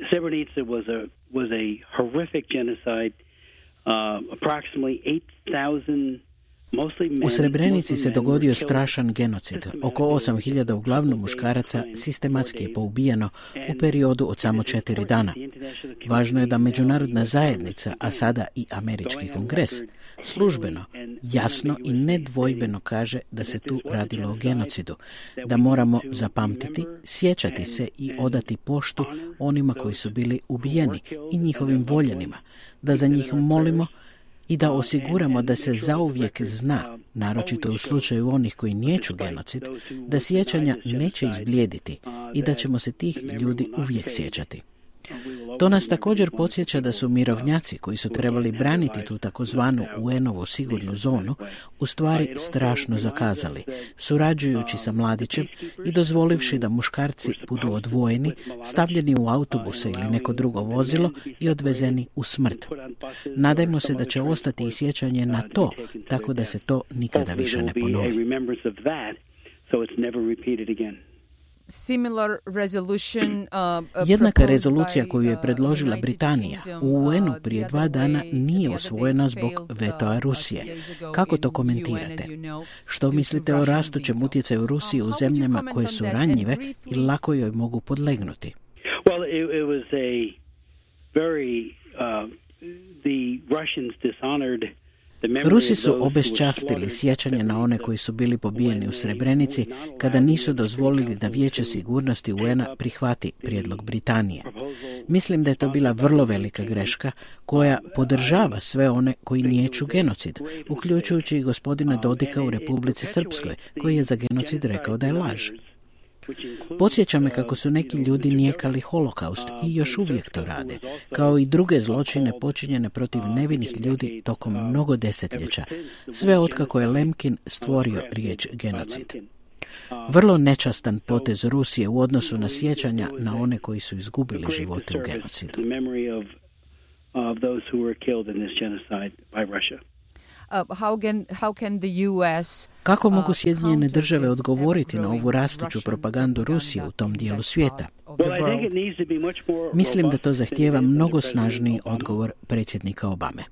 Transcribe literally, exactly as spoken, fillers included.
Srebrenica was a was a horrific genocide. Uh, approximately eight thousand. U Srebrenici se dogodio strašan genocid. Oko osam hiljada uglavnom muškaraca sistematski je poubijeno u periodu od samo četiri dana. Važno je da međunarodna zajednica, a sada i američki kongres, službeno, jasno i nedvojbeno kaže da se tu radilo o genocidu, da moramo zapamtiti, sjećati se i odati poštu onima koji su bili ubijeni i njihovim voljenima, da za njih molimo i da osiguramo da se zauvijek zna, naročito u slučaju onih koji niječu genocid, da sjećanja neće izblijediti i da ćemo se tih ljudi uvijek sjećati. To nas također podsjeća da su mirovnjaci koji su trebali braniti tu takozvanu U N-ovu sigurnu zonu u stvari strašno zakazali, surađujući sa mladićem i dozvolivši da muškarci budu odvojeni, stavljeni u autobuse ili neko drugo vozilo i odvezeni u smrt. Nadajmo se da će ostati i sjećanje na to, tako da se to nikada više ne ponovi. Jednaka rezolucija koju je predložila Britanija u U N-u prije dva dana nije usvojena zbog vetoa Rusije. Kako to komentirate? Što mislite o rastućem utjecaju Rusije u zemljama koje su ranjive i lako joj mogu podlegnuti? Well, it, it was a very uh, the Russians dishonored. Rusi su obeščastili sjećanje na one koji su bili pobijeni u Srebrenici kada nisu dozvolili da Vijeće sigurnosti U N-a prihvati prijedlog Britanije. Mislim da je to bila vrlo velika greška koja podržava sve one koji niječu genocid, uključujući i gospodina Dodika u Republici Srpskoj, koji je za genocid rekao da je laž. Podsjeća me kako su neki ljudi nijekali holokaust i još uvijek to rade, kao i druge zločine počinjene protiv nevinih ljudi tokom mnogo desetljeća, sve otkako je Lemkin stvorio riječ genocid. Vrlo nečastan potez Rusije u odnosu na sjećanja na one koji su izgubili živote u genocidu. Uh, how can, how can the U S, Kako mogu Sjedinjene države odgovoriti na ovu rastuću propagandu Rusije u tom dijelu svijeta? Mislim da to zahtijeva mnogo snažniji odgovor predsjednika Obame.